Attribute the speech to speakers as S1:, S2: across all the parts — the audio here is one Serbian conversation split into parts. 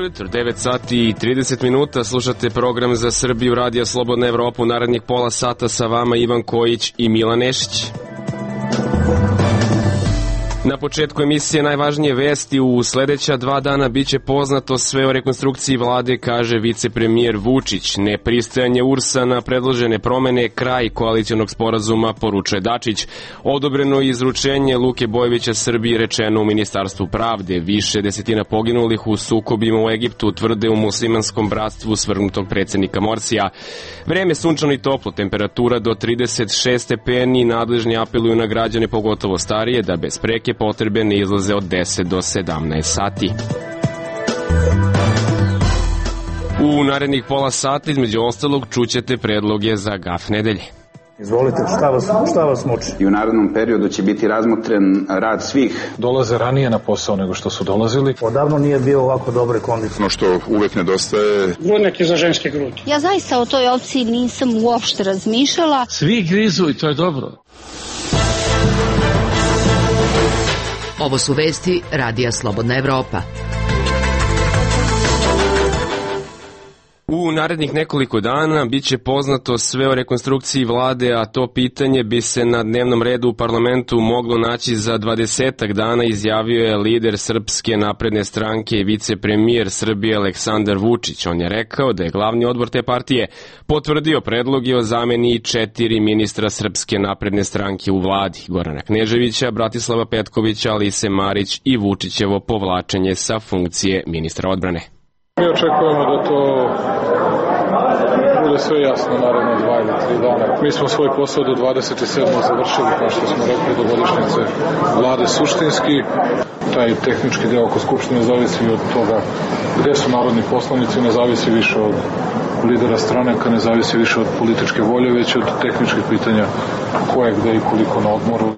S1: jutro, 9 sati i 30 minuta, slušate program za Srbiju, Radija Slobodna Evropa, u narednih pola sata sa vama Ivan Kojić i Milan Nešić. Na početku emisije najvažnije vesti. U sledeća 2 dana biće poznato sve o rekonstrukciji vlade, kaže vicepremijer Vučić. Nepristajanje URS-a na predložene promene, kraj koalicionog sporazuma, poručuje Dačić. Odobreno izručenje Luke Bojovića Srbiji, rečeno u Ministarstvu pravde. Više desetina poginulih u sukobima u Egiptu, tvrde u muslimanskom bratstvu svrgnutog predsednika Morsija. Vreme sunčano i toplo, temperatura do 36 stepeni, nadležni apeluju na građane, pogotovo starije, da bez preke potrebe ne izlaze od 10 do 17 sati. U narednih pola sata, između ostalog, čućete predloge za gaf nedelje.
S2: Izvolite, šta vas muči?
S3: I u narednom periodu će biti razmotren rad svih.
S4: Dolaze ranije na posao nego što su dolazili.
S2: Odavno nije bio ovako dobre kondicije.
S5: Ono što uvek nedostaje...
S6: Grudnjak je za ženske grudi.
S7: Ja zaista o toj opciji nisam uopšte razmišljala.
S6: Svi grizu i to je dobro.
S8: Ovo su vesti Radija Slobodna Evropa.
S1: U narednih nekoliko dana biće poznato sve o rekonstrukciji vlade, a to pitanje bi se na dnevnom redu u parlamentu moglo naći za 20 dana, izjavio je lider Srpske napredne stranke i vicepremijer Srbije Aleksandar Vučić. On je rekao da je glavni odbor te partije potvrdio predloge o zameni 4 ministra Srpske napredne stranke u vladi: Gorana Kneževića, Bratislava Petkovića, Alise Marić i Vučićevo povlačenje sa funkcije ministra odbrane.
S4: Mi očekujemo da to bude sve jasno naredno 2 ili 3 dana. Mi smo svoj posao do 27. završili, kao što smo rekli, do godišnjice vlade suštinski. Taj tehnički deo oko Skupštine zavisi od toga gde su narodni poslanici, ne zavisi više od lidera stranaka, ne zavisi više od političke volje, već od tehničkih pitanja ko je gde i koliko na odmoru.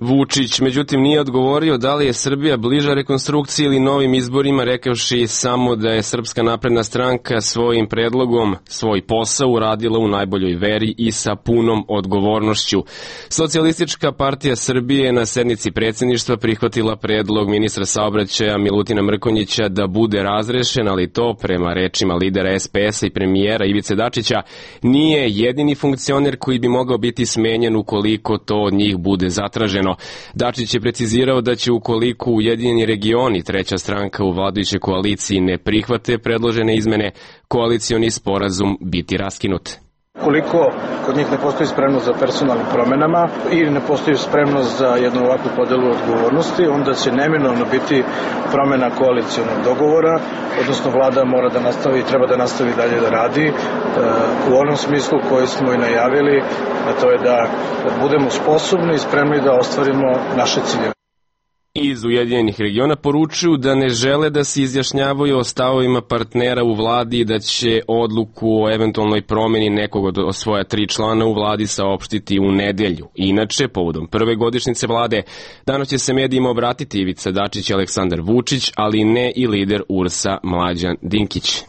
S1: Vučić, međutim, nije odgovorio da li je Srbija bliža rekonstrukciji ili novim izborima, rekavši samo da je Srpska napredna stranka svojim predlogom svoj posao uradila u najboljoj veri i sa punom odgovornošću. Socijalistička partija Srbije je na sednici predsjedništva prihvatila predlog ministra saobraćaja Milutina Mrkonjića da bude razrešen, ali to, prema rečima lidera SPS-a i premijera Ivice Dačića, nije jedini funkcioner koji bi mogao biti smenjen ukoliko to od njih bude zatraženo. Dačić je precizirao da će, ukoliko Ujedinjeni regioni, treća stranka u vladajućoj koaliciji, ne prihvate predložene izmene, koalicioni sporazum biti raskinut.
S2: Koliko kod njih ne postoji spremnost za personalnim promenama ili ne postoji spremnost za jednu ovakvu podelu odgovornosti, onda će neminovno biti promena koalicionog dogovora, odnosno vlada mora da nastavi, treba da nastavi dalje da radi u onom smislu koji smo i najavili, a to je da budemo sposobni i spremni da ostvarimo naše ciljeve.
S1: Iz Ujedinjenih regiona poručuju da ne žele da se izjašnjavaju o stavovima partnera u vladi i da će odluku o eventualnoj promeni nekog od svoja 3 člana u vladi saopštiti u nedelju. Inače, povodom prve godišnjice vlade, danas će se medijima obratiti Ivica Dačić i Aleksandar Vučić, ali ne i lider URS-a Mlađan Dinkić.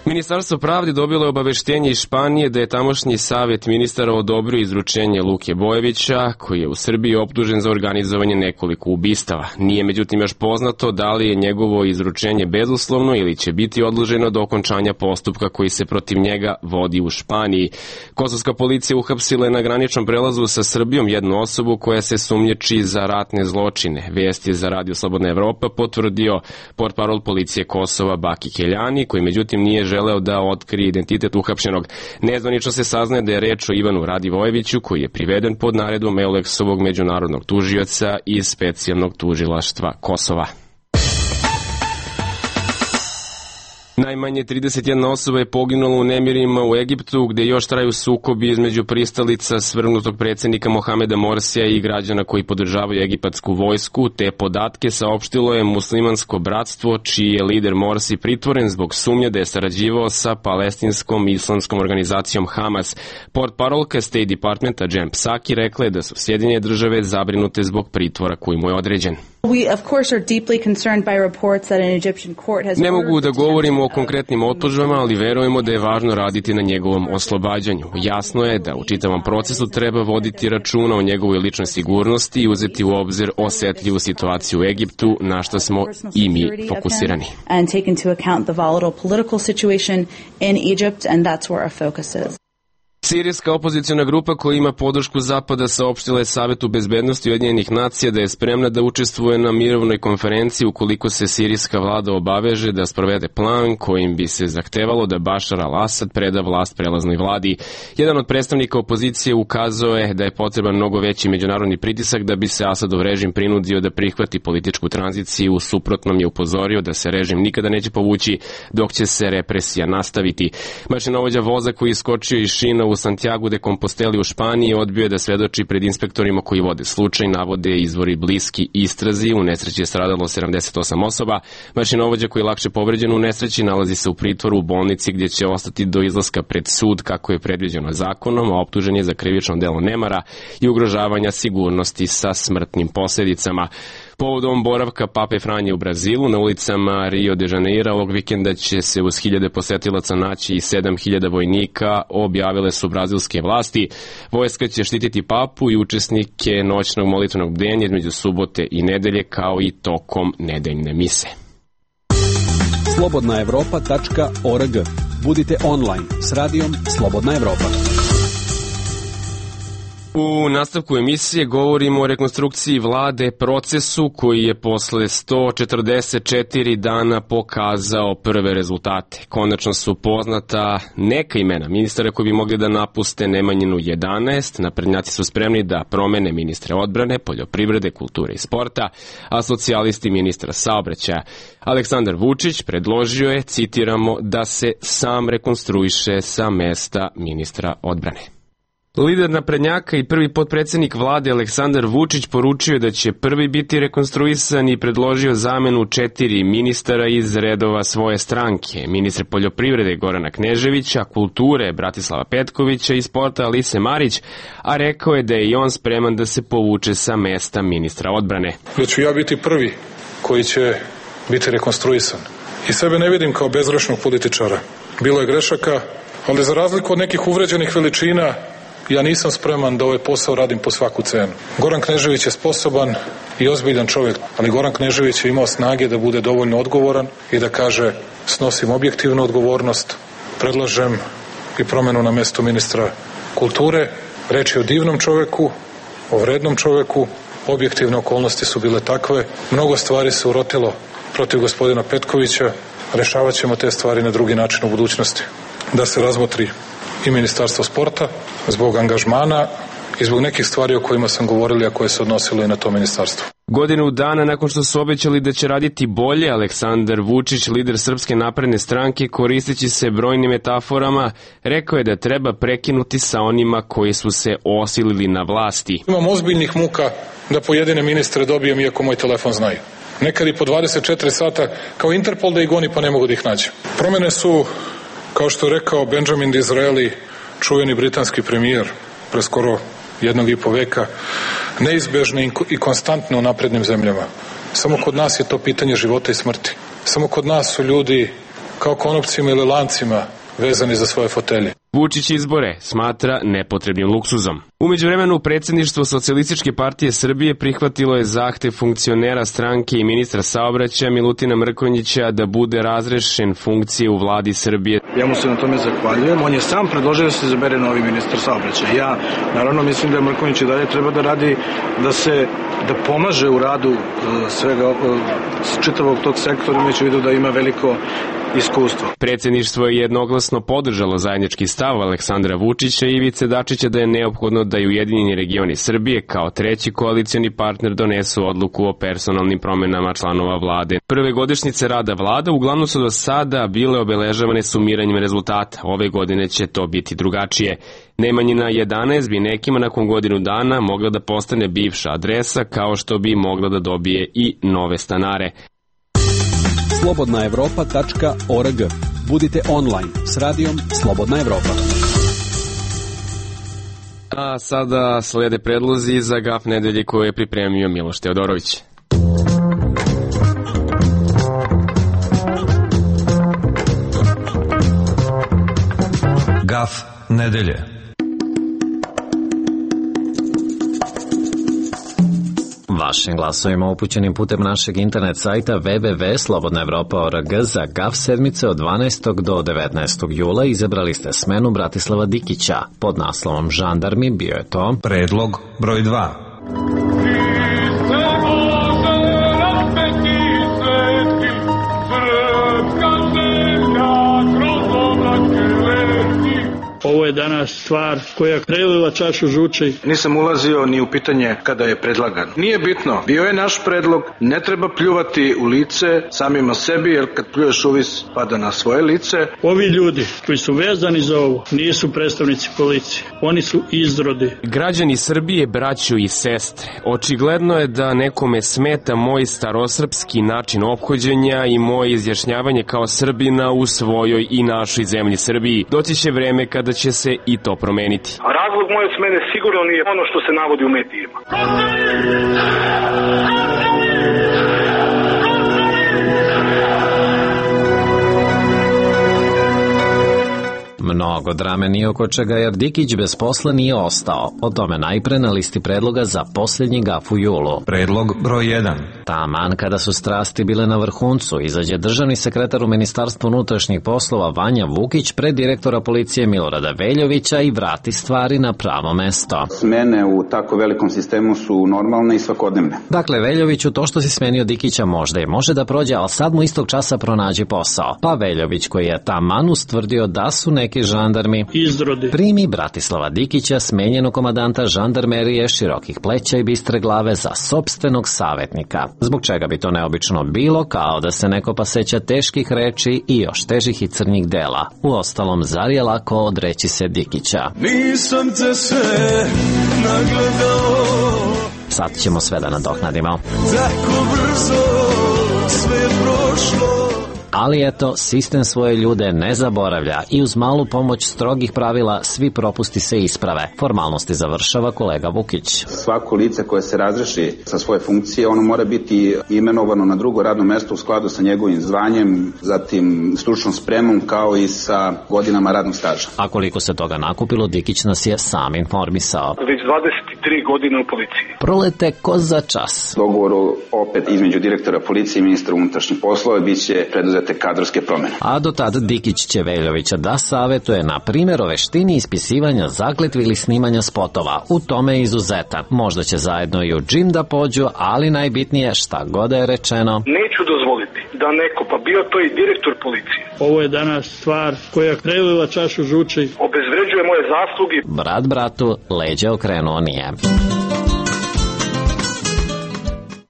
S1: Ministarstvo pravde dobilo je obaveštenje iz Španije da je tamošnji savjet ministara odobrio izručenje Luke Bojovića, koji je u Srbiji optužen za organizovanje nekoliko ubistava. Nije međutim još poznato da li je njegovo izručenje bezuslovno ili će biti odloženo do okončanja postupka koji se protiv njega vodi u Španiji. Kosovska policija uhapsila je na graničnom prelazu sa Srbijom jednu osobu koja se sumnjiči za ratne zločine. Vest je za Radio Slobodna Evropa potvrdio portparol policije Kosova Baki Keljani, koji međutim nije želeo da otkrije identitet uhapšenog. Nezvanično se saznaje da je reč o Ivanu Radivojeviću, koji je priveden pod naredbom Euleksovog međunarodnog tužioca iz specijalnog tužilaštva Kosova. Najmanje 31 osoba je poginula u nemirima u Egiptu, gde još traju sukobi između pristalica svrgnutog predsjednika Mohameda Morsija i građana koji podržavaju egipatsku vojsku. Te podatke saopštilo je muslimansko bratstvo, čiji je lider Morsi pritvoren zbog sumnje da je sarađivao sa palestinskom islamskom organizacijom Hamas. Portparolka State Departmenta Jen Psaki rekla je da su Sjedinjene države zabrinute zbog pritvora koji mu je određen.
S9: We of course are deeply concerned by reports that an Egyptian court has.
S1: Ne mogu da govorimo o konkretnim optužbama, ali verujemo da je važno raditi na njegovom oslobađanju. Jasno je da u čitavom procesu treba voditi računa o njegovoj ličnoj sigurnosti i uzeti u obzir osetljivu situaciju u Egiptu, na što smo i mi fokusirani. Sirijska opoziciona grupa koja ima podršku Zapada saopštila je Savetu bezbednosti Ujedinjenih nacija da je spremna da učestvuje na mirovnoj konferenciji ukoliko se sirijska vlada obaveže da sprovede plan kojim bi se zahtevalo da Bašar al-Asad preda vlast prelaznoj vladi. Jedan od predstavnika opozicije ukazao je da je potreban mnogo veći međunarodni pritisak da bi se Asadov režim prinudio da prihvati političku tranziciju, u suprotnom je upozorio da se režim nikada neće povući dok će se represija nastaviti. Mašinovođa voza koji je iskočio iz šina u Santiago de Composteli u Španiji odbio je da svedoči pred inspektorima koji vode slučaj, navode izvori bliski istrazi. U nesreći je stradalo 78 osoba. Mašinovođa koji je lakše povređen u nesreći nalazi se u pritvoru u bolnici gdje će ostati do izlaska pred sud kako je predviđeno zakonom, a optužen je za krivično delo nemara i ugrožavanja sigurnosti sa smrtnim posljedicama. Povodom boravka Pape Franje u Brazilu, na ulicama Rio de Janeira ovog vikenda će se uz 1000 posetilaca naći i 7000 vojnika, objavile su brazilske vlasti. Vojska će štititi Papu i učesnike noćnog molitvenog bdenja između subote i nedelje, kao i tokom nedeljne mise.
S9: Slobodnaevropa.org. Budite online s radijom Slobodna Evropa.
S1: U nastavku emisije govorimo o rekonstrukciji vlade, procesu koji je posle 144 dana pokazao prve rezultate. Konačno su poznata neka imena ministara koji bi mogli da napuste Nemanjinu 11. Naprednjaci su spremni da promene ministre odbrane, poljoprivrede, kulture i sporta, a socijalisti ministra saobraćaja. Aleksandar Vučić predložio je, citiramo, da se sam rekonstruiše sa mesta ministra odbrane. Lider naprednjaka i prvi potpredsjednik vlade Aleksandar Vučić poručio je da će prvi biti rekonstruisan i predložio zamenu 4 ministara iz redova svoje stranke. Ministre poljoprivrede Gorana Kneževića, kulture Bratislava Petkovića i sporta Alise Marić, a rekao je da je i on spreman da se povuče sa mesta ministra odbrane.
S4: Da ću ja biti prvi koji će biti rekonstruisan. I sebe ne vidim kao bezgrešnog političara. Bilo je grešaka, ali za razliku od nekih uvređenih veličina, ja nisam spreman da ovaj posao radim po svaku cenu. Goran Knežević je sposoban i ozbiljan čovjek, ali Goran Knežević je imao snage da bude dovoljno odgovoran i da kaže snosim objektivnu odgovornost, predlažem i promenu na mesto ministra kulture. Reč je o divnom čovjeku, o vrednom čovjeku, objektivne okolnosti su bile takve, mnogo stvari se urotilo protiv gospodina Petkovića, rešavat ćemo te stvari na drugi način u budućnosti. Da se razmotri i Ministarstvo sporta zbog angažmana i zbog nekih stvari o kojima sam govorili, a koje se odnosilo i na to ministarstvo.
S1: Godinu dana nakon što su obećali da će raditi bolje, Aleksandar Vučić, lider Srpske napredne stranke, koristeći se brojnim metaforama, rekao je da treba prekinuti sa onima koji su se osilili na vlasti.
S4: Imam ozbiljnih muka da pojedine ministre dobijem iako moj telefon znaju. Nekad i po 24 sata kao Interpol da ih goni pa ne mogu da ih nađem. Promene su, kao što je rekao Benjamin Disraeli, čuveni britanski premijer pre skoro 1,5 veka, neizbežne i konstantne u naprednim zemljama. Samo kod nas je to pitanje života i smrti. Samo kod nas su ljudi kao konopcima ili lancima vezani za svoje fotelje.
S1: Vučić izbore smatra nepotrebnim luksuzom. U međuvremenu predsjedništvo Socijalističke partije Srbije prihvatilo je zahtev funkcionera stranke i ministra saobraćaja Milutina Mrkonjića da bude razrešen funkcije u vladi Srbije.
S2: Ja mu se na tome zahvaljujem. On je sam predložio da se izabere novi ministar saobraćaja. Ja naravno mislim da Mrkonjić i dalje treba da radi, da pomaže u radu svega čitavog tog sektora, imajući u vidu da ima veliko iskustvo.
S1: Predsjedništvo je jednoglasno podržalo zajednički stav Aleksandra Vučića i Ivice Dačića da je neophodno da i Ujedinjeni regioni Srbije kao treći koalicioni partner donesu odluku o personalnim promenama članova vlade. Prve godišnjice rada vlada uglavnom su do sada bile obeležavane sumiranjem rezultata. Ove godine će to biti drugačije. Nemanjina 11 bi nekima nakon godinu dana mogla da postane bivša adresa, kao što bi mogla da dobije i nove stanare.
S9: Slobodnaevropa.org. Budite online s radijom Slobodna Evropa.
S1: A sada slede predlozi za gaf nedelje koje je pripremio Miloš
S10: Graf nedelje.
S11: Vašim glasovima upućenim putem našeg internet sajta www.slobodnaevropa.org za GAF sedmice od 12. do 19. jula izabrali ste smenu Bratislava Dikića. Pod naslovom Žandarmi bio je to
S10: Predlog broj 2.
S6: Ovo je danas stvar koja prelila čašu žuči.
S2: Nisam ulazio ni u pitanje kada je predlagan. Nije bitno, bio je naš predlog, ne treba pljuvati u lice samima sebi, jer kad pljuješ uvis pada na svoje lice.
S6: Ovi ljudi koji su vezani za ovo nisu predstavnici policije, oni su izrodi.
S1: Građani Srbije, braćo i sestre, očigledno je da nekome smeta moj starosrpski način ophođenja i moje izjašnjavanje kao Srbina u svojoj i našoj zemlji Srbiji. Doći će vreme kada će se i to promeniti.
S12: A razlog moje smene sigurno nije ono što se navodi u medijima.
S11: Mnogo drame nije oko čega jer Dikić bez posla nije ostao. O tome najpre na listi predloga za posljednji gaf u julu.
S10: Predlog broj 1.
S11: Taman kada su strasti bile na vrhuncu, izađe državni sekretar u Ministarstvu unutrašnjih poslova Vanja Vukić pred direktora policije Milorada Veljovića i vrati stvari na pravo mesto.
S3: Smene u tako velikom sistemu su normalne i svakodnevne.
S11: Dakle, Veljoviću, to što si smenio Dikića možda i može da prođe, ali sad mu istog časa pronađi posao. Pa Veljović, koji je taman ustvrdio da su neki žandarmi
S6: izrodi,
S11: primi Bratislava Dikića, smenjenog komandanta žandarmerije širokih pleća i bistre glave, za sopstvenog savjetnika. Zbog čega bi to neobično bilo, kao da se neko pa seća teških reči i još težih i crnjih dela. Uostalom, zar je lako odreći se Dikića?
S13: Nisam te sve nagledao.
S11: Sad ćemo sve da nadoknadimo.
S13: Tako brzo sve je prošlo.
S11: Ali eto, sistem svoje ljude ne zaboravlja i uz malu pomoć strogih pravila svi propusti se isprave. Formalnosti završava kolega Vukić.
S3: Svako lice koje se razreši sa svoje funkcije, ono mora biti imenovano na drugo radno mesto u skladu sa njegovim zvanjem, zatim stručnom spremom kao i sa godinama radnog staža.
S11: A koliko se toga nakupilo, Dikić nas je sam informisao.
S12: Već 23 godine u policiji.
S11: Prolete ko za čas.
S3: Dogovor opet između direktora policije i ministra unutrašnjih poslova biće preduzete kadrovske promene.
S11: A do tada Dikić će Veljovića da savetuje na primjer o veštini ispisivanja zakletvi ili snimanja spotova. U tome je izuzetan. Možda će zajedno i u džim da pođu, ali najbitnije, šta god je rečeno,
S12: neću dozvoliti da neko, pa bio to i direktor policije,
S6: ovo je danas stvar koja prelila čašu žuči,
S12: obezvređuje moje zasluge.
S11: Brat bratu leđe okrenuo nije.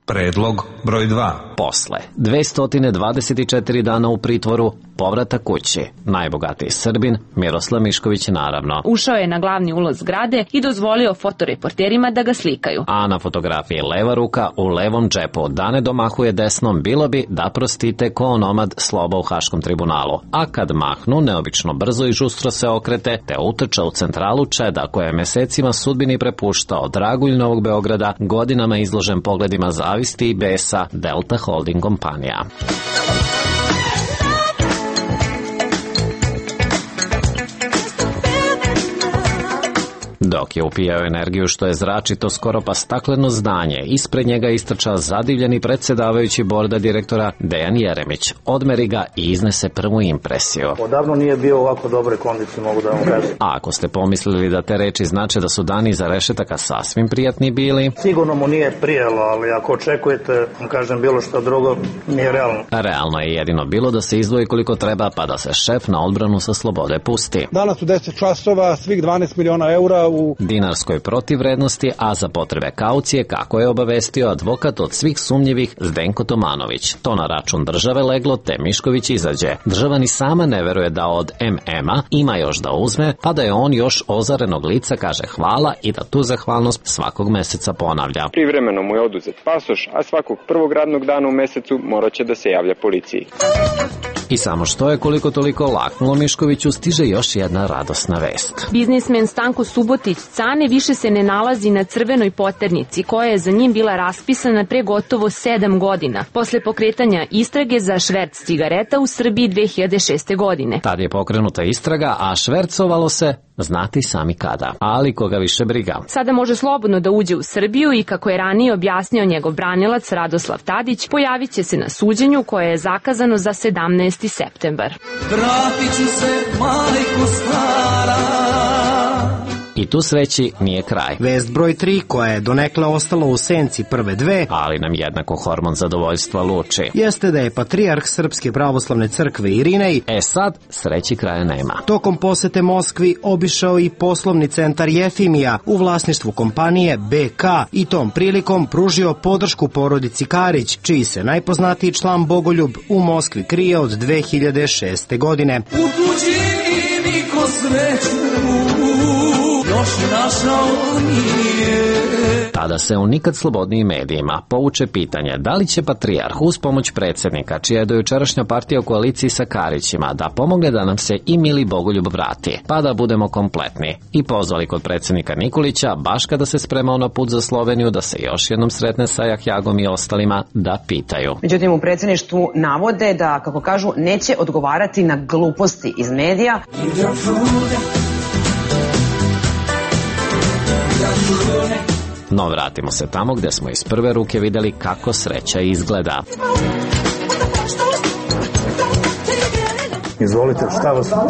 S10: Predlog broj 2.
S11: Posle 224 dana u pritvoru, povratak kući. Najbogatiji Srbin, Miroslav Mišković naravno.
S14: Ušao je na glavni ulaz zgrade i dozvolio fotoreporterima da ga slikaju.
S11: A na fotografiji leva ruka u levom džepu, da ne domahuje desnom, bilo bi da prostite ko onomad Sloba u Haškom tribunalu. A kad mahnu, neobično brzo i žustro se okrete, te utrča u centralu Čeda, koja je mesecima sudbini prepuštao dragulj Novog Beograda, godinama izložen pogledima zavisti i besa Delta Holding kompanija. Dok je upijao energiju što je zračito skoro pa stakleno zdanje, ispred njega istrča zadivljeni predsjedavajući borda direktora Dejan Jeremić. Odmeri ga i iznese prvu impresiju.
S15: Odavno nije bio ovako dobre kondicije, mogu da vam kažem.
S11: A ako ste pomislili da te reči znače da su dani za rešetaka sasvim prijatni bili,
S15: sigurno mu nije prijelo, ali ako očekujete, kažem, bilo što drugo, nije realno.
S11: Realno je jedino bilo da se izdvoji koliko treba, pa da se šef na odbranu sa slobode pusti.
S16: Danas u 10 časova svih 12 miliona eura u
S11: dinarskoj protivvrednosti, a za potrebe kaucije, kako je obavestio advokat od svih sumnjivih Zdenko Tomanović. To na račun države leglo, te Mišković izađe. Država ni sama ne veruje da od MM-a ima još da uzme, pa da je on još ozarenog lica kaže hvala i da tu zahvalnost svakog meseca ponavlja.
S17: Privremeno mu je oduzet pasoš, a svakog prvog radnog dana u mesecu morat će da se javlja policiji.
S11: I samo što je koliko toliko laknulo Miškoviću, stiže još jedna radosna vest.
S14: Biznismen Stanko Subotić Cane više se ne nalazi na crvenoj poternici koja je za njim bila raspisana pre gotovo 7 godina, posle pokretanja istrage za šverc cigareta u Srbiji 2006. godine.
S11: Tad je pokrenuta istraga, a švercovalo se znati sami kada, ali koga više briga.
S14: Sada može slobodno da uđe u Srbiju i kako je ranije objasnio njegov branilac Radoslav Tadić, pojavit će se na suđenju koje je zakazano za 17. septembar.
S13: Vratit ću se, majko stara.
S11: I tu sreći nije kraj.
S17: Vest broj 3, koja je donekle ostala u senci prve dve,
S11: ali nam jednako hormon zadovoljstva luči,
S17: jeste da je patrijarh Srpske pravoslavne crkve Irinej
S11: sad sreći kraja nema.
S17: Tokom posete Moskvi obišao i poslovni centar Jefimija u vlasništvu kompanije BK i tom prilikom pružio podršku porodici Karić, čiji se najpoznatiji član Bogoljub u Moskvi krije od 2006. godine.
S13: U tuđini niko sreću još našao nije.
S11: Tada se u nikad slobodnijim medijima povuče pitanje da li će patrijarh uz pomoć predsjednika, čija je dojučerašnja partija u koaliciji sa Karićima, da pomogne da nam se i mili Bogoljub vrati, pa da budemo kompletni. I pozvali kod predsjednika Nikolića, baš kada se spremao na put za Sloveniju, da se još jednom sretne sa Jahjagom i ostalima, da pitaju.
S18: Međutim, u predsjedništvu navode da, kako kažu, neće odgovarati na gluposti iz medija.
S11: No vratimo se tamo gde smo iz prve ruke videli kako sreća izgleda.
S15: Izvolite,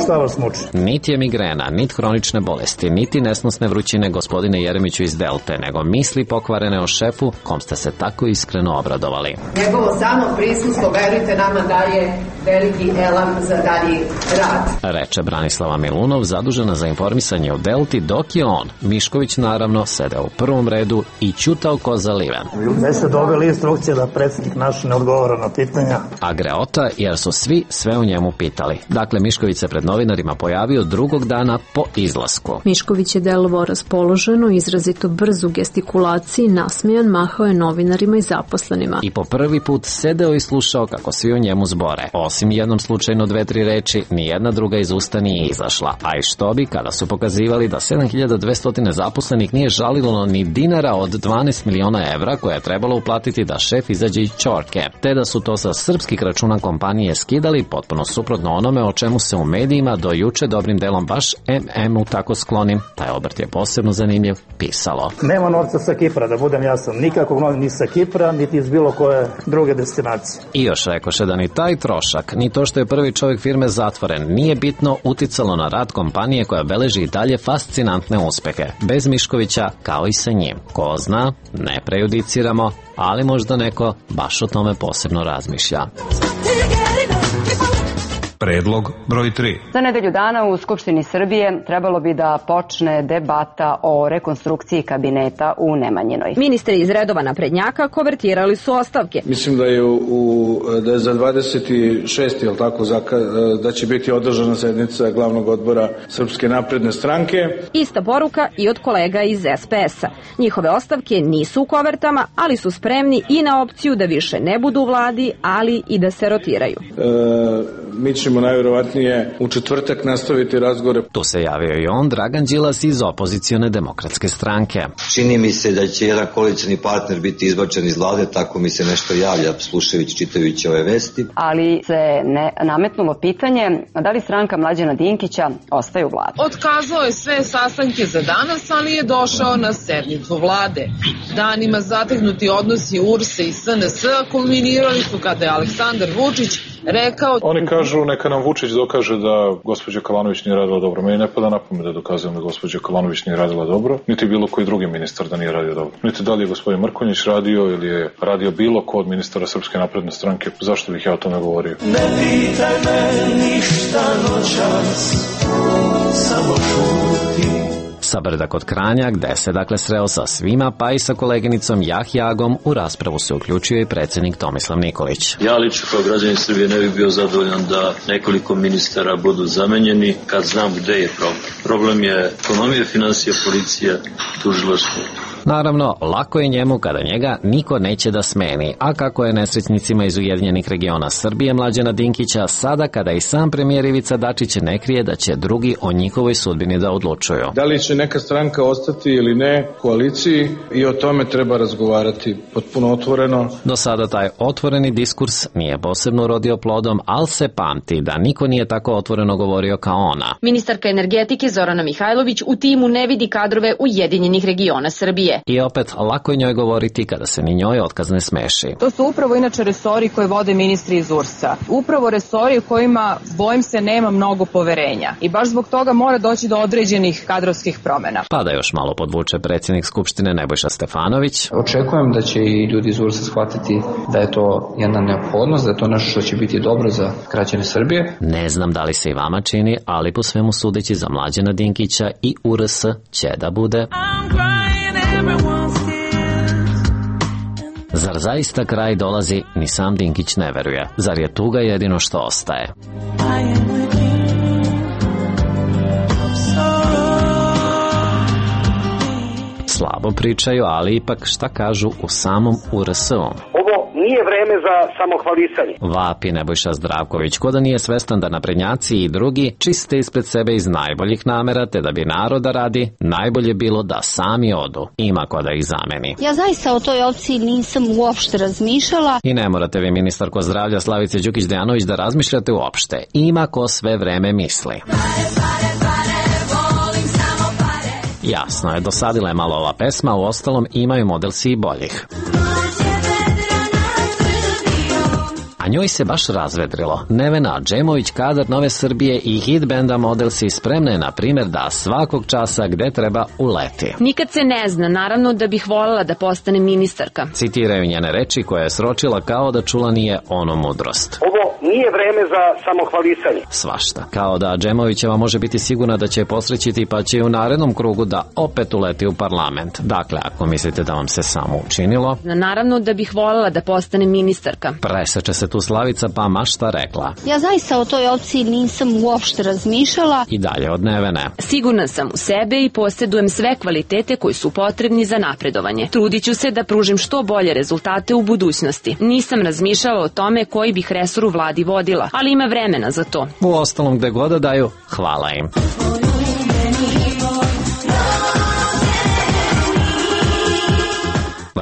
S15: šta vas muči?
S11: Niti je migrena, niti hronične bolesti, niti nesnosne vrućine, gospodine Jeremiću iz Delte, nego misli pokvarene o šefu, kom ste se tako iskreno obradovali.
S19: Njegovo samo prisustvo, verujte nama, daje veliki elan za dalji rad,
S11: reče Branislava Milunov, zadužena za informisanje o Delti, dok je on, Mišković naravno, sedeo u prvom redu i ćutao ko zaliven.
S15: Gde ste dobili instrukcije da predsjednik naš ne odgovara na pitanja?
S11: A greota, jer su svi sve o njemu pitali. Dakle, Mišković se pred novinarima pojavio drugog dana po izlasku.
S20: Mišković je delovao raspoloženo, izrazito brz u gestikulaciji, nasmejan, mahao je novinarima i zaposlenima.
S11: I po prvi put sedeo i slušao kako svi o njemu zbore. Osim jednom slučajno 2-3 reči, nijedna druga iz usta nije izašla. A i što bi, kada su pokazivali da 7200 zaposlenih nije žalilo ni dinara od 12 miliona evra koje je trebalo uplatiti da šef izađe iz ćorke, te da su to sa srpskih računa kompanije skidali, potpuno suprotno onome o čemu se u medijima do juče dobrim delom baš MM-u tako sklonim, taj obrt je posebno zanimljiv, pisalo.
S15: Nema novca sa Kipra, da budem jasan, nikakvog novca ni sa Kipra, niti iz bilo koje druge destinacije.
S11: I još rekoše da ni taj trošak, ni to što je prvi čovjek firme zatvoren, nije bitno uticalo na rad kompanije koja beleži i dalje fascinantne uspehe, bez Miškovića kao i sa njim. Ko zna, ne prejudiciramo, ali možda neko baš o tome posebno razmišlja.
S10: Predlog broj 3.
S21: Za nedelju dana u Skupštini Srbije trebalo bi da počne debata o rekonstrukciji kabineta u Nemanjinoj.
S14: Ministri iz redova naprednjaka konvertirali su ostavke.
S2: Mislim da je da je za 26. jel tako, da će biti održana sednica glavnog odbora Srpske napredne stranke.
S14: Ista poruka i od kolega iz SPS-a. Njihove ostavke nisu u kovertama, ali su spremni i na opciju da više ne budu u vladi, ali i da se rotiraju.
S2: Mi ćemo najvjerovatnije u četvrtak nastaviti razgovore.
S11: Tu se javio i on, Dragan Đilas iz opozicione demokratske stranke.
S22: Čini mi se da će jedan koalicioni partner biti izbačen iz vlade, tako mi se nešto javlja slušajući, čitajući ove vesti.
S21: Ali se nametnulo pitanje da li stranka Mlađana Dinkića ostaje u vladi.
S23: Otkazao je sve sastanke za danas, ali je došao na sednicu vlade. Danima zategnuti odnosi URS i SNS kulminirali su kada je Aleksandar Vučić rekao...
S4: Oni kažu neka nam Vučić dokaže da gospođa Kalanović nije radila dobro. Meni ne pada na pamet da dokazujem da gospođa Kalanović nije radila dobro, niti bilo koji drugi ministar da nije radio dobro. Niti da li je gospodin Mrkonjić radio ili je radio bilo ko od ministara Srpske napredne stranke. Zašto bih ja o tome govorio?
S13: Ne pitaj me ništa noćas, samo šuti.
S11: sa Brda kod Kranja, gde se dakle sreo sa svima, pa i sa koleginicom Jahjagom. U raspravu se uključio i predsjednik Tomislav Nikolić.
S5: Ja lično kao građanin Srbije ne bih bio zadovoljan da nekoliko ministara budu zamenjeni kad znam gde je problem. Problem je ekonomija, financija, policija, tužilaštvo.
S11: Naravno, lako je njemu kada njega niko neće da smeni, a kako je nesrećnicima iz Ujedinjenih regiona Srbije Mlađana Dinkića, sada kada i sam premijer Ivica Dačić ne krije da će drugi o njihovoj sudbini da odlučuju.
S2: Da li će neka stranka ostati ili ne u koaliciji, i o tome treba razgovarati potpuno otvoreno.
S11: Do sada taj otvoreni diskurs nije posebno urodio plodom, ali se pamti da niko nije tako otvoreno govorio kao ona.
S14: Ministarka energetike Zorana Mihajlović u timu ne vidi kadrove Ujedinjenih regiona Srbije.
S11: I opet, lako je njoj govoriti kada se ni njoj otkaz ne smeši.
S7: To su upravo inače resori koje vode ministri iz URS-a. Upravo resori u kojima, bojim se, nema mnogo poverenja. I baš zbog toga mora doći do određenih kadrovskih promjena.
S11: Pa da još malo podvuče predsjednik Skupštine Nebojša Stefanović.
S8: Očekujem da će i ljudi iz URS-a shvatiti da je to jedna neophodnost, da je to nešto što će biti dobro za građane Srbije.
S11: Ne znam da li se i vama čini, ali po svemu sudeći za Mlađana Dinkića i URS će da bude. Zar zaista kraj dolazi, ni sam Dinkić ne veruje. Zar je tuga jedino što ostaje? Slabo pričaju, ali ipak šta kažu u samom URS-u?
S12: Ovo nije vreme za samohvalisanje.
S11: Vapi Nebojša Zdravković, ko da nije svestan da naprednjaci i drugi čiste ispred sebe iz najboljih namera, te da bi naroda radi, najbolje bilo da sami odu. Ima ko da ih zameni.
S24: Ja zaista o toj opciji nisam uopšte razmišljala.
S11: I ne morate vi, ministarko zdravlja Slavice Đukić-Dejanović, da razmišljate uopšte. Ima ko sve vreme misli. Jasno je, dosadila je malo ova pesma, u ostalom imaju model si i boljih. A njoj se baš razvedrilo. Nevena Džemović, kadar Nove Srbije i hit benda Model si, spremna je na primjer da svakog časa gde treba uleti.
S14: Nikad se ne zna, naravno da bih voljela da postane ministarka.
S11: Citiraju njene reči koje je sročila kao da čula nije ono mudrost.
S12: Ovo nije vreme za samohvalisanje.
S11: Svašta. Kao da Džemovićeva može biti sigurna da će je posrećiti, pa će u narednom krugu da opet uleti u parlament. Dakle, ako mislite da vam se samo učinilo...
S14: Naravno da bih voljela da postane ministarka.
S11: Preseče se tu Slavica, pa mašta rekla.
S24: Ja zaista o toj opciji nisam uopšte razmišljala.
S11: I dalje od Nevene.
S14: Sigurna sam u sebe i posjedujem sve kvalitete koji su potrebni za napredovanje. Trudit ću se da pružim što bolje rezultate u budućnosti. Nisam razmišljala o tome koji bih resor u vladi vodila, ali ima vremena za to.
S11: U ostalom gde god da daju, hvala im.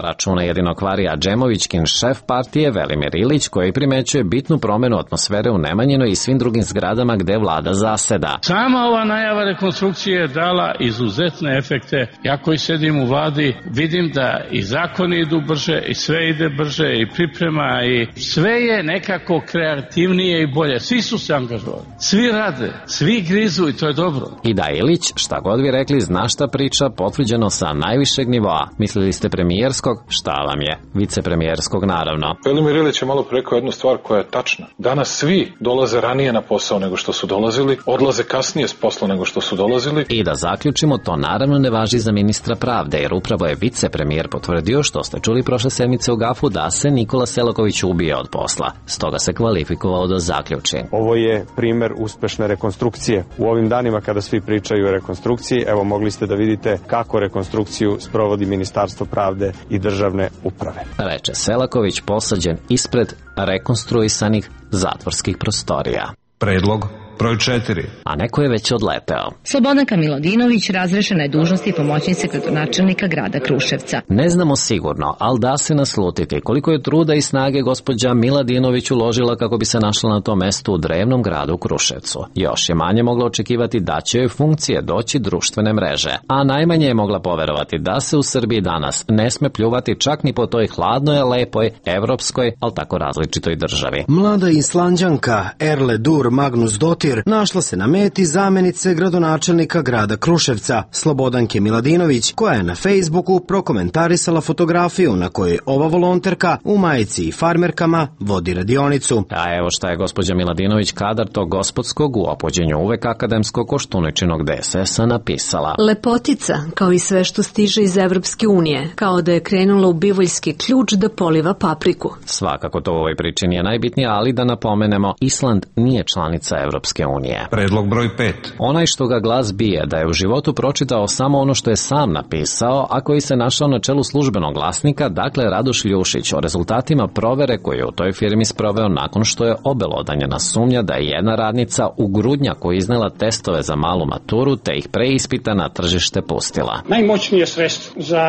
S11: Računa jedino kvarija Džemovićkin šef partije Velimir Ilić, koji primećuje bitnu promenu atmosfere u Nemanjinoj i svim drugim zgradama gde vlada zaseda.
S6: Sama ova najava rekonstrukcije je dala izuzetne efekte. Ja koji sedim u vladi vidim da i zakoni idu brže i sve ide brže i priprema i sve je nekako kreativnije i bolje. Svi su se angažovali, svi rade, svi grizu i to je dobro.
S11: I da Ilić, šta god vi rekli, zna šta priča, potvrđeno sa najvišeg nivoa. Mislili ste premijerskog? Šta vam je? Vicepremijerskog, naravno.
S4: Velimir Ilić je malo rekao jednu stvar koja je tačna. Danas svi dolaze ranije na posao nego što su dolazili, odlaze kasnije s posla nego što su dolazili.
S11: I da zaključimo, to naravno ne važi za ministra pravde, jer upravo je vicepremijer potvrdio, što ste čuli prošle sedmice u Gafu, da se Nikola Selaković ubije od posla. Stoga se kvalifikovao da zaključi.
S25: Ovo je primer uspešne rekonstrukcije. U ovim danima kada svi pričaju o rekonstrukciji, evo mogli ste da vidite kako rekonstrukciju sprovodi Ministarstvo pravde i državne uprave.
S11: Reče Selaković, posađen ispred rekonstruisanih zatvorskih prostorija.
S10: Predlog broj 4.
S11: A neko je već odleteo.
S26: Slobodanka Milodinović razrešena je dužnosti pomoćnice gradonačelnika grada Kruševca.
S11: Ne znamo sigurno, ali da se naslutiti koliko je truda i snage gospođa Miladinović uložila kako bi se našla na tom mestu u drevnom gradu Kruševcu. Još je manje mogla očekivati da će joj funkcije doći društvene mreže, a najmanje je mogla poverovati da se u Srbiji danas ne sme pljuvati čak ni po toj hladnoj, lepoj, evropskoj, ali tako različitoj državi.
S17: Mlada Islanđanka Erle Dur Magnus Dottir Portir našla se na meti zamenice gradonačelnika grada Kruševca, Slobodanke Miladinović, koja je na Facebooku prokomentarisala fotografiju na kojoj ova volonterka u majici i farmerkama vodi radionicu.
S11: A evo šta je gospođa Miladinović, kadar tog gospodskog u opođenju uvek akademskog Koštuničinog DSS-a napisala.
S20: Lepotica, kao i sve što stiže iz Evropske unije, kao da je krenula u bivoljski ključ da poliva papriku.
S11: Svakako to u ovoj priči nije najbitnije, ali da napomenemo, Island nije članica Evropske unije.
S10: Predlog broj 5.
S11: Onaj što ga glas bije da je u životu pročitao samo ono što je sam napisao, a koji se našao na čelu službenog glasnika, dakle Radoš Ljušić, o rezultatima provere koju je u toj firmi sproveo nakon što je obelodanjena sumnja da je jedna radnica u Grudnjaku iznela testove za malu maturu te ih pre ispita na tržište pustila.
S1: Najmoćnije sredstvo za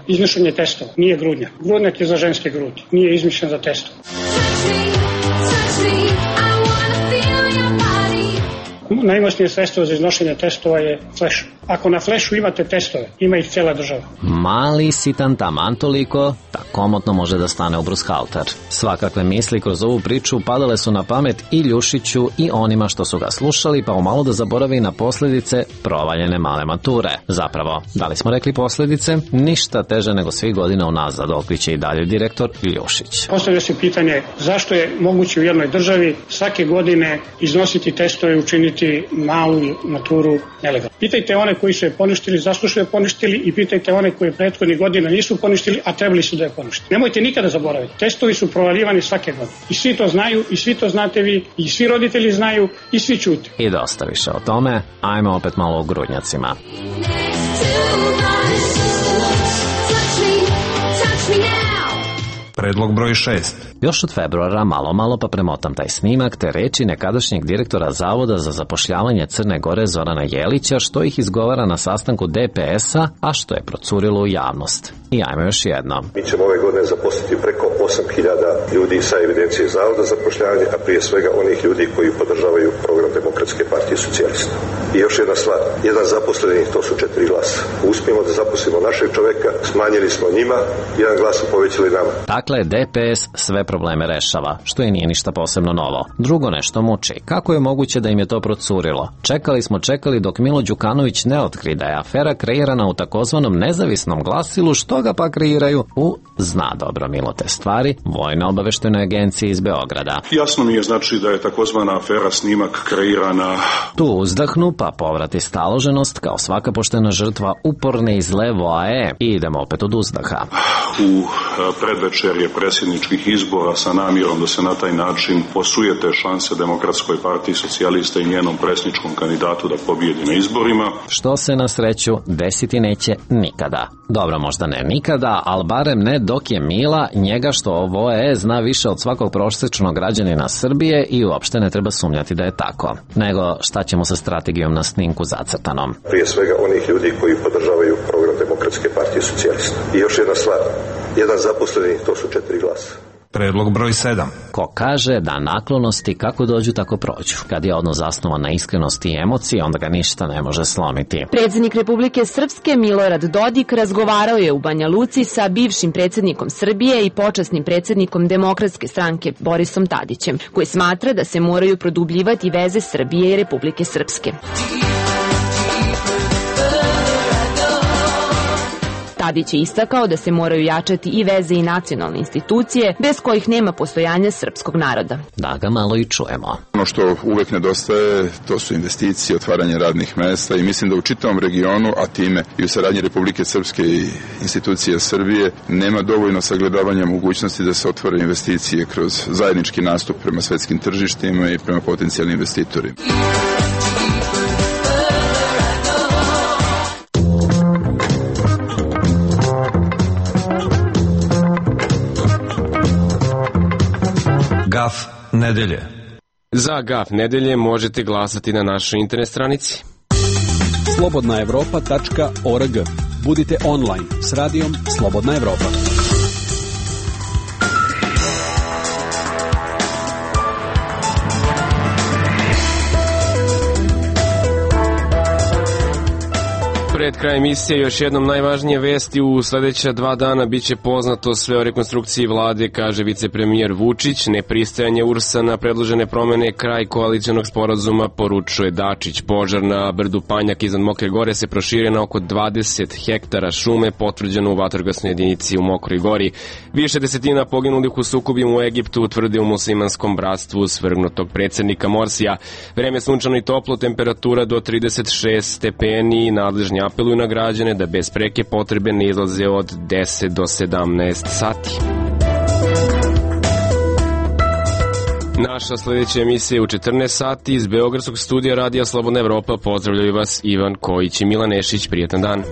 S1: izmišljanje testova nije grudnjak. Grudnjak je za ženske grudi, nije izmišljen za testove. Najmoćnije sredstvo za iznošenje testova je fleš. Ako na flešu imate testove, ima ih cela država.
S11: Mali sitan taman toliko, ta komotno može da stane u brushalter. Svakakve misli kroz ovu priču padale su na pamet i Ljušiću i onima što su ga slušali, pa umalo da zaboravi na posljedice provaljene male mature. Zapravo, da li smo rekli posljedice? Ništa teže nego svih godina unazad, otkriće i dalje direktor Ljušić.
S1: Postavlja se pitanje zašto je moguće u jednoj državi svake godine iznositi testove i učiniti malu maturu nelegalno. Pitajte one koji su je poništili, zašto su je poništili, i pitajte one koji prethodnih godina nisu poništili, a trebali su da je poništili. Nemojte nikada zaboraviti. Testovi su provaljivani svake godine. I svi to znaju, i svi to znate vi, i svi roditelji znaju, i svi čute.
S11: I dosta više o tome, ajmo opet malo o Grudnjacima.
S10: Predlog broj 6.
S11: Još od februara malo pa premotam taj snimak te reči nekadašnjeg direktora Zavoda za zapošljavanje Crne Gore Zorana Jelića, što ih izgovara na sastanku DPS-a, a što je procurilo u javnost. I ajmo još jedno.
S3: Mi ćemo ove godine zaposliti preko 8.000 ljudi sa evidencije Zavoda za zapošljavanje, a prije svega onih ljudi koji podržavaju program Demokratske partije socijalista. I još jedna stvar, jedan zaposleni, to su 4 glasa. Uspijemo da zaposlimo našeg čoveka, smanjili smo njima, jedan glas su povećali nama.
S11: Dakle, DPS sve probleme rešava, što i nije ništa posebno novo. Drugo nešto muči. Kako je moguće da im je to procurilo? Čekali dok Milo Đukanović ne otkri da je afera kreirana u takozvanom nezavisnom glasilu, što ga pa kreiraju u, zna dobro Milo te stvari, Vojno obaveštajnoj agenciji iz Beograda.
S9: Jasno mi je znači da je takozvana afera snimak kreirana.
S11: Tu uzdahnu pa povrati staloženost kao svaka poštena žrtva uporne iz Levoae i idemo opet od uzdaha.
S9: U predvečerje predsjedničkih izbora sa namjerom da se na taj način posujete šanse Demokratskoj partiji socijalista i njenom predsjedničkom kandidatu da pobijedi na izborima.
S11: Što se na sreću desiti neće nikada. Dobro, možda ne nikada, ali barem ne dok je Mila, njega što ovo zna više od svakog prosječnog građanina Srbije i uopšte ne treba sumnjati da je tako. Nego šta ćemo sa strategijom na snimku zacrtanom?
S3: Prije svega onih ljudi koji podržavaju program Demokratske partije socijalista. I još jedna stvar, jedan zaposleni, to su 4 glasa.
S10: Predlog broj 7.
S11: Ko kaže da naklonosti kako dođu tako prođu. Kad je odnos zasnovan na iskrenosti i emociji, onda ga ništa ne može slomiti.
S14: Predsjednik Republike Srpske Milorad Dodik razgovarao je u Banja Luci sa bivšim predsjednikom Srbije i počasnim predsjednikom Demokratske stranke Borisom Tadićem, koji smatra da se moraju produbljivati veze Srbije i Republike Srpske. Tadić je istakao da se moraju jačati i veze i nacionalne institucije, bez kojih nema postojanja srpskog naroda.
S11: Da ga malo i čujemo.
S16: Ono što uvek nedostaje, to su investicije, otvaranje radnih mesta i mislim da u čitavom regionu, a time i u saradnji Republike Srpske i institucije Srbije, nema dovoljno sagledavanja mogućnosti da se otvore investicije kroz zajednički nastup prema svetskim tržištima i prema potencijalnim investitorima.
S10: Gaf nedelje.
S18: Za Gaf nedelje možete glasati na našoj internet stranici
S19: slobodnaevropa.org. Budite online s radijom Slobodna Evropa.
S18: pred kraj emisije još jednom najvažnije vesti. U sledeća 2 dana biće poznato sve o rekonstrukciji vlade, kaže vicepremijer Vučić. Nepristajanje URS-a na predložene promene, kraj koalicijonog sporazuma, poručuje Dačić. Požar na brdu Panjak iznad Mokre Gore se proširio na oko 20 hektara šume, potvrđeno u vatrogasnoj jedinici u Mokroj Gori. Više desetina poginulih u sukobima u Egiptu, utvrde u muslimanskom bratstvu svrgnutog predsednika Morsija. Vreme sunčano i toplo, temperatura do 36 stepeni. Nadležni apeluju na građane da bez preke potrebe ne izlaze od 10 do 17 sati. Naša sledeća emisija je u 14 sati iz Beogradskog studija Radija Slobodna Evropa. Pozdravljaju vas Ivan Kojić i Milan Nešić. Prijetan dan.